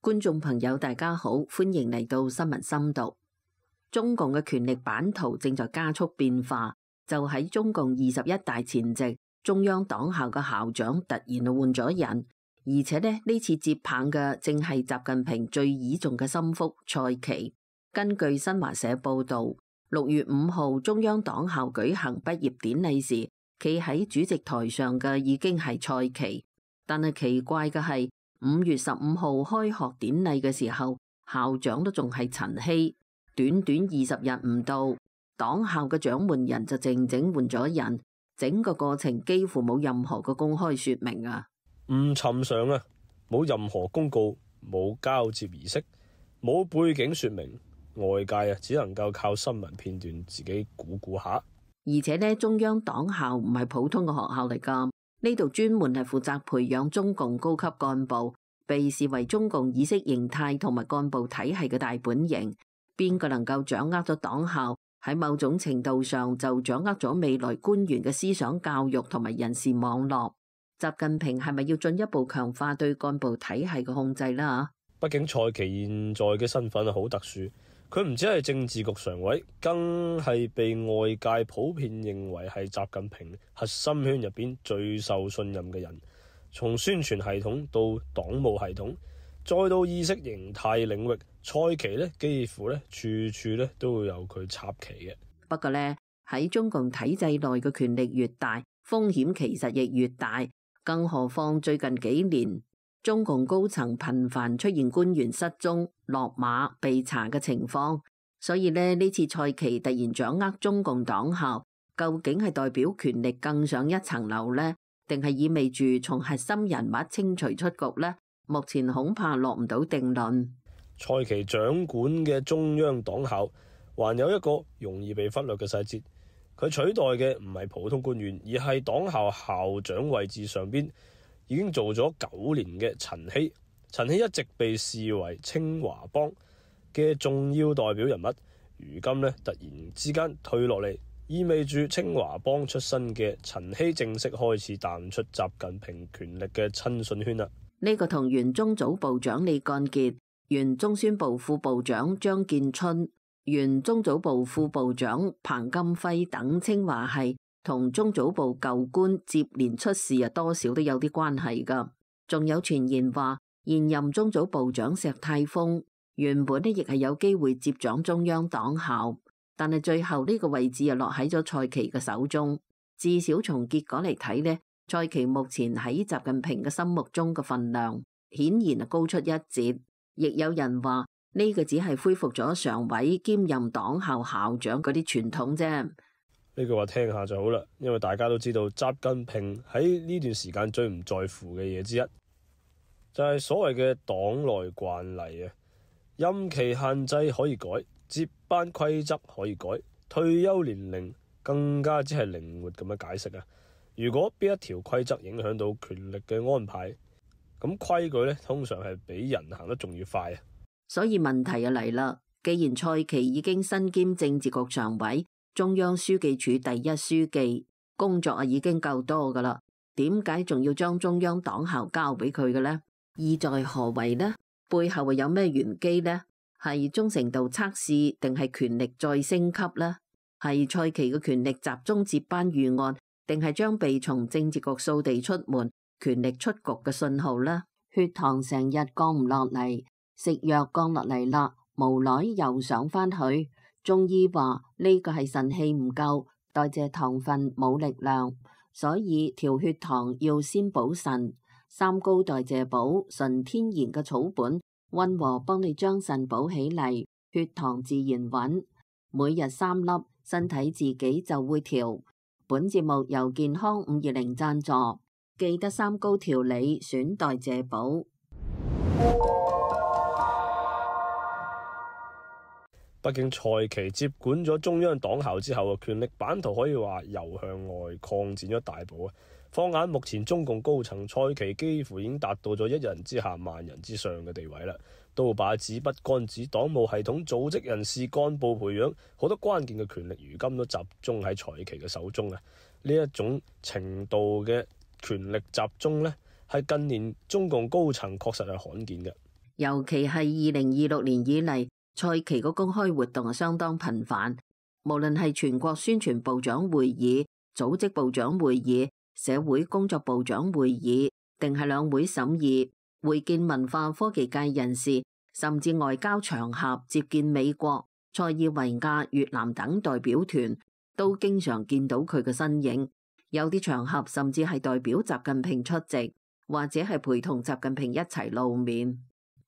觀眾朋友大家好，歡迎嚟到新聞深讀。中共嘅權力版圖正在加速變化，就喺中共21大前夕，中央黨校嘅校長突然換咗人，而且呢次接棒嘅正係習近平最倚重嘅心腹蔡奇。根據新華社報道，6月5號中央黨校舉行畢業典禮時，企喺主席台上嘅已經係蔡奇，但係奇怪嘅係5月15號開學典禮嘅時候，校長都仲係陳希。短短20日唔到，黨校嘅掌門人就靜靜換咗人，整個過程幾乎冇任何嘅公開說明啊！唔尋常啊，冇任何公告，冇交接儀式，冇背景說明，外界只能夠靠新聞片段自己估下。而且呢，中央黨校唔係普通嘅學校嚟㗎，呢度專門係負責培養中共高級幹部，被視為中共意識形態同埋幹部體系嘅大本營。邊個能夠掌握咗黨校，喺某種程度上就掌握咗未來官員嘅思想教育同埋人事網絡。習近平係咪要進一步強化對幹部體系嘅控制啦？畢竟蔡奇現在嘅身份好特殊，佢唔止係政治局常委，更係被外界普遍認為係習近平核心圈入邊最受信任嘅人。從宣傳系統到黨務系統，再到意識形態領域，蔡奇幾乎處處都會有佢插旗嘅。不過呢，喺中共體制內嘅權力越大，風險其實亦越大。更何況最近幾年，中共高層頻繁出現官員失蹤、落馬、被查嘅情況，所以呢次蔡奇突然掌握中共黨校，究竟係代表權力更上一層樓呢？定係意味住從核心人物清除出局呢？目前恐怕落唔到定論。蔡奇掌管嘅中央黨校，還有一個容易被忽略嘅細節，佢取代嘅唔係普通官員，而係黨校校長位置上邊已經做咗9年嘅陳希。陳希一直被視為清華幫嘅重要代表人物，如今突然之間退落嚟，意味住清華幫出身嘅陳希正式開始淡出習近平權力嘅親信圈啦。呢個同原中組部長李幹傑、原中宣部副部長張建春、原中組部副部長彭金輝等清華系同中組部舊官接連出事多少都有啲關係㗎。仲有傳言話，現任中組部長石泰峰原本亦係有機會接掌中央黨校，但係最後呢個位置落喺咗蔡奇嘅手中。至少從結果嚟睇呢，蔡奇目前喺習近平嘅心目中嘅份量顯然高出一截。亦有人話呢個只係恢復咗常委兼任黨校校長嗰啲傳統啫。呢句話聽下就好啦，因為大家都知道習近平喺呢段時間最唔在乎嘅嘢之一，就係所謂嘅黨內慣例啊。任期限制可以改，接班規則可以改，退休年齡更加只係靈活咁樣解釋啊。如果邊一條規則影響到權力嘅安排，咁規矩通常係比人行得仲要快啊。所以問題就嚟啦，既然蔡奇已經身兼政治局常委、中央書記處第一書記，工作已經夠多噶啦，點解仲要將中央黨校交俾佢嘅呢？意在何為呢？背後有咩玄機呢？係忠誠度測試定係權力再升級呢？係蔡奇嘅權力集中接班預案，定係將被從政治局掃地出門、權力出局嘅信號呢？血糖成日降唔落嚟，食藥降落嚟啦，無奈又上返去。中醫話呢個係腎氣唔夠，代謝糖分冇力量，所以調血糖要先補腎。三高代謝補，純天然嘅草本，溫和幫你將腎補起嚟，血糖自然穩。每日3粒，身體自己就會調。本節目由健康520贊助，記得三高調理，選代謝補。畢竟蔡奇接管咗中央黨校之後，權力版圖可以話又向外擴展咗大步啊！放眼目前中共高層，蔡奇幾乎已經達到咗一人之下萬人之上嘅地位啦。刀把子、筆桿子、黨務系統、組織人事、幹部培養，好多關鍵嘅權力如今都集中喺蔡奇嘅手中啊！呢一種程度嘅權力集中係近年中共高層確實係罕見嘅。尤其係2026年以嚟，蔡奇個公開活動係相當頻繁，無論係全國宣傳部長會議、組織部長會議、社會工作部長會議，定係兩會審議、會見文化科技界人士，甚至外交場合接見美國、塞爾維亞、越南等代表團，都經常見到佢嘅身影。有啲場合甚至係代表習近平出席，或者係陪同習近平一齊露面。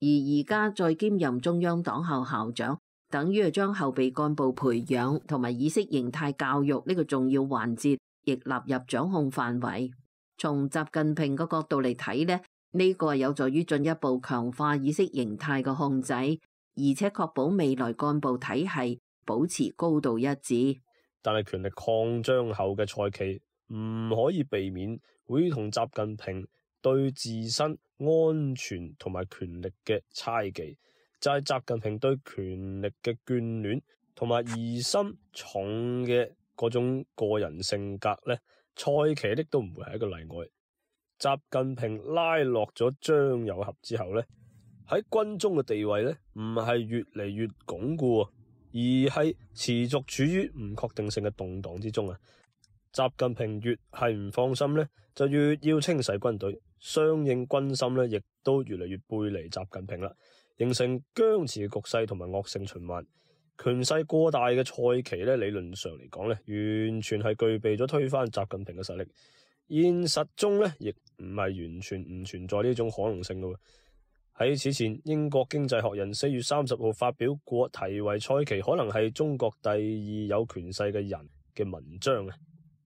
而家再兼任中央黨校校長，等於係將後備幹部培養同埋意識形態教育呢個重要環節，亦納入掌控範圍。從習近平個角度嚟睇呢，呢個有助於進一步強化意識形態嘅控制，而且確保未來幹部體系保持高度一致。但係權力擴張後嘅蔡奇唔可以避免會同習近平對自身安全同埋權力嘅猜忌，就係習近平對權力嘅眷戀同埋疑心重嘅嗰種個人性格呢，蔡奇呢都唔會係一個例外。習近平拉落咗張又俠之後呢，喺軍中嘅地位呢唔係越嚟越鞏固，而係持續處於唔確定性嘅動盪之中啊！習近平越係唔放心呢，就越要清洗軍隊，相應軍心呢亦都越嚟越背離習近平啦，形成僵持嘅局勢同埋惡性循環。權勢過大嘅蔡奇呢，理論上嚟講呢，完全係具備咗推翻習近平嘅實力。現實中呢，亦唔係完全唔存在呢種可能性嘅。喺此前，英國經濟學人4月30號發表過題為蔡奇可能係中國第二有權勢嘅人嘅文章啊。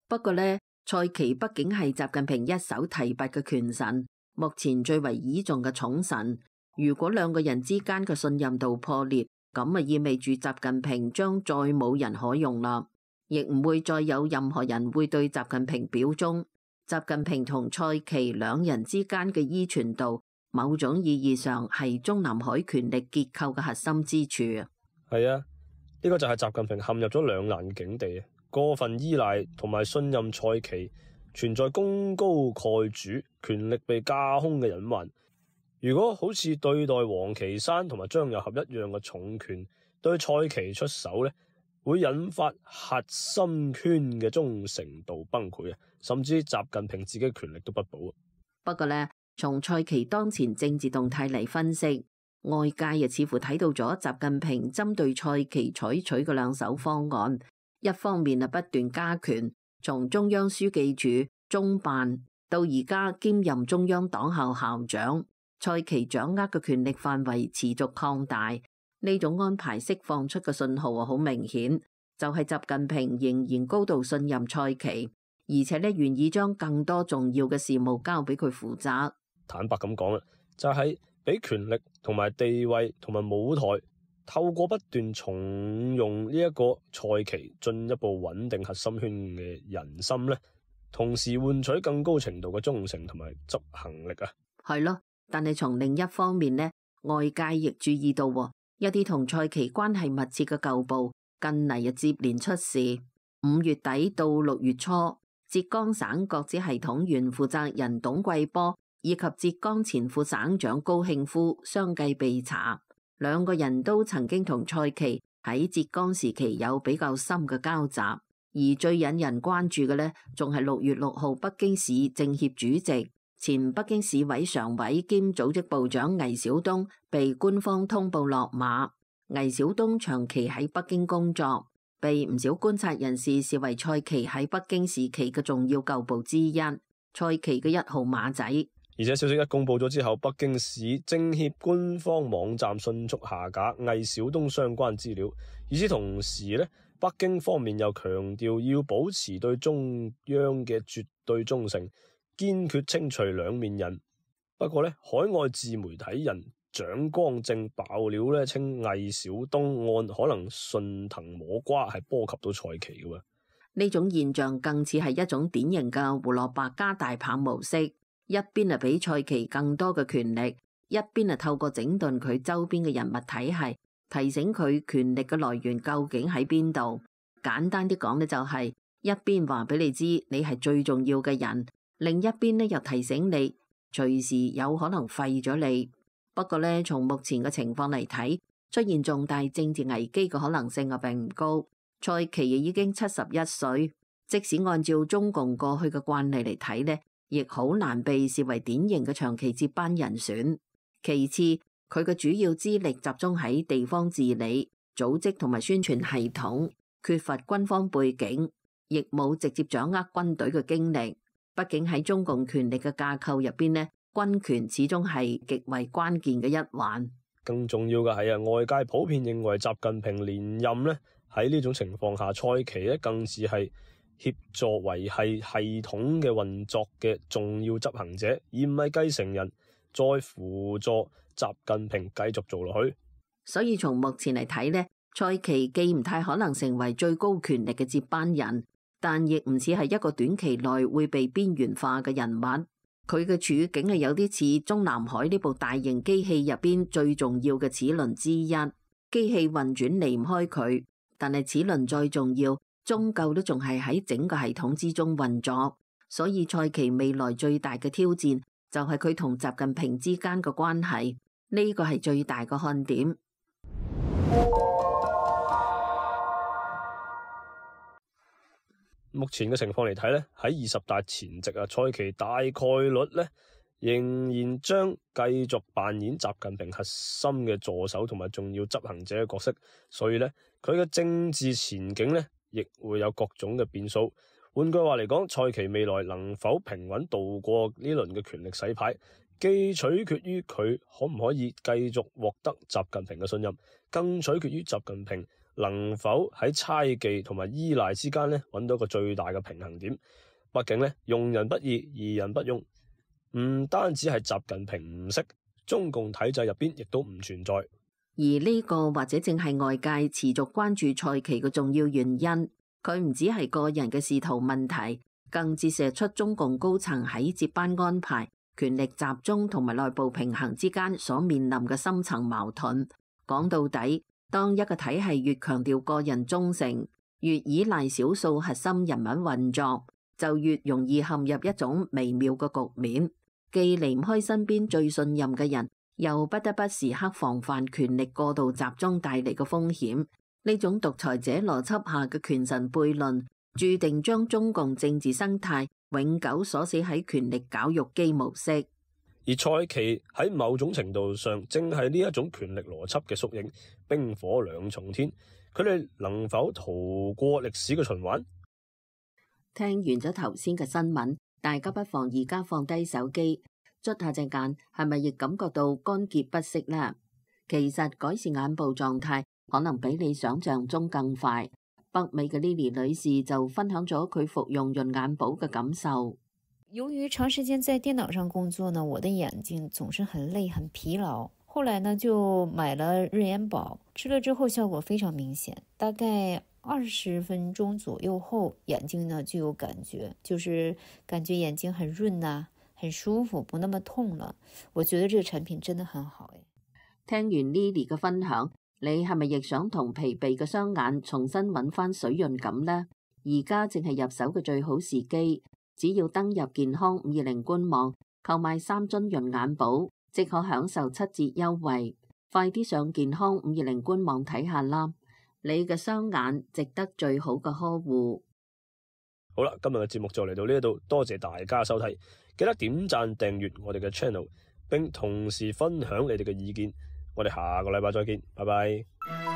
不過呢，蔡奇畢竟係習近平一手提拔嘅權臣，目前最為倚重嘅寵臣。如果兩個人之間嘅信任度破裂，咁啊意味住習近平將再冇人可用啦，亦唔會再有任何人會對習近平表忠。習近平同蔡奇兩人之間嘅依存度，某種意義上係中南海權力結構嘅核心之處啊。係啊，呢個就係習近平陷入咗兩難境地，過分依賴同埋信任蔡奇，存在功高蓋主、權力被架空嘅隱患。如果好似對待王岐山同埋張又俠一樣嘅重權對蔡奇出手呢，會引發核心圈嘅忠誠度崩潰啊，甚至習近平自己嘅權力都不保。不過呢，從蔡奇當前政治動態嚟分析，外界又似乎睇到咗習近平針對蔡奇採取嘅兩手方案。一方面不斷加權，從中央書記處、中辦到而家兼任中央黨校校長，蔡奇掌握嘅權力範圍持續擴大。呢種安排釋放出嘅信號好明顯，就係習近平仍然高度信任蔡奇，而且願意將更多重要嘅事務交俾佢負責。坦白咁講啦，就係俾權力同埋地位同埋舞台，透過不斷重用呢一個蔡奇，進一步穩定核心圈嘅人心呢，同時換取更高程度嘅忠誠同埋執行力啊。係咯，但係從另一方面呢，外界亦注意到一啲同蔡奇關係密切嘅舊部近嚟接連出事。5月底到6月初，浙江省國資系統原負責人董貴波以及浙江前副省長高慶夫相繼被查，兩個人都曾經同蔡奇喺浙江時期有比較深嘅交集。而最引人關注嘅呢，仲係6月6號北京市政協主席、前北京市委常委兼組織部長魏小東被官方通報落馬。魏小東長期喺北京工作，被唔少觀察人士視為蔡奇喺北京時期嘅重要舊部之一，蔡奇嘅1號馬仔。而且消息一公佈咗之後，北京市政協官方網站迅速下架魏小東相關資料。與此同時呢，北京方面又強調要保持對中央嘅絕對忠誠，堅決清除兩面人。不過呢，海外自媒體人蔣光正爆料呢，稱魏小東案可能順藤摸瓜，係波及到蔡奇嘅。呢種現象更似係一種典型嘅胡蘿蔔加大棒模式，一邊係俾蔡奇更多嘅權力，一邊係透過整頓佢周邊嘅人物體系，提醒佢權力嘅來源究竟喺邊度。簡單啲講呢，就係一邊話俾你知你係最重要嘅人，另一邊呢又提醒你隨時有可能廢咗你。不過呢，從目前嘅情況嚟睇，出現重大政治危機嘅可能性並唔高。蔡奇亦已經71歲，即使按照中共過去嘅慣例嚟睇呢，亦好難被視為典型嘅長期接班人選。其次，佢嘅主要資歷集中喺地方治理、組織同埋宣傳系統，缺乏軍方背景，亦冇直接掌握軍隊嘅經歷。畢竟喺中共權力嘅架構入邊呢，軍權始終係極為關鍵嘅一環。更重要嘅係啊，外界普遍認為習近平連任呢，喺呢種情況下，蔡奇呢更似係協助維繫系統嘅運作嘅重要執行者，而唔係繼承人，再輔助習近平繼續做落去。所以從目前嚟睇呢，蔡奇既唔太可能成為最高權力嘅接班人，但亦唔似係一個短期內會被邊緣化嘅人物。佢嘅處境係有啲似中南海呢部大型機器入邊最重要嘅齒輪之一，機器運轉離唔開佢，但係齒輪再重要，終究都仲係喺整個系統之中運作。所以蔡奇未來最大嘅挑戰就係佢同習近平之間嘅關係，呢個係最大嘅看點。目前嘅情況嚟睇咧，喺20大前夕啊，蔡奇大概率咧仍然將繼續扮演習近平核心嘅助手同埋重要執行者嘅角色，所以咧佢嘅政治前景咧亦會有各種嘅變數。換句話嚟講，蔡奇未來能否平穩度過呢輪嘅權力洗牌，既取決於佢可唔可以繼續獲得習近平嘅信任，更取決於習近平能否喺猜忌同埋依賴之間咧揾到一個最大嘅平衡點。畢竟咧，用人不義，疑人不用，唔單止係習近平唔識，中共體制入邊亦都唔存在。而呢個或者正係外界持續關注蔡奇嘅重要原因。佢唔只係個人嘅仕途問題，更折射出中共高層喺接班安排、權力集中同埋內部平衡之間所面臨嘅深層矛盾。講到底，當一個體系越強調個人忠誠，越依賴少數核心人物運作，就越容易陷入一種微妙嘅局面，既離唔開身邊最信任嘅人，又不得不時刻防範權力過度集中帶嚟嘅風險。呢種獨裁者邏輯下嘅權臣悖論，注定將中共政治生態永久鎖死喺權力絞肉機模式。而蔡奇喺某種程度上，正係呢一種權力邏輯嘅縮影，冰火兩重天。佢哋能否逃過歷史嘅循環？聽完咗頭先嘅新聞，大家不妨而家放低手機，捽下隻眼，係咪亦感覺到乾澀不適呢？其實改善眼部狀態可能比你想象中更快。北美嘅 Lily 女士就分享咗佢服用潤眼寶嘅感受。由於長時間在電腦上工作呢，我的眼睛總是很累很疲勞。後來呢就買了潤眼寶，吃了之後效果非常明顯，大概20分鐘左右後，眼睛呢就有感覺，就是感覺眼睛很潤啊，很舒服，不那麼痛了。我覺得這個產品真的很好。聽完 Lily 嘅分享，你係咪亦想同疲憊嘅雙眼重新揾翻水潤感呢？而家正係入手嘅最好時機，只要登入健康520官網購買3樽潤眼寶，即可享受7折優惠。快啲上健康520官網睇下啦！你嘅雙眼值得最好嘅呵護。好啦，今日嘅節目就嚟到呢度，多謝大家收睇，記得點讚訂閱我哋嘅 channel，並同時分享你哋嘅意見。我哋下個禮拜再見，拜拜。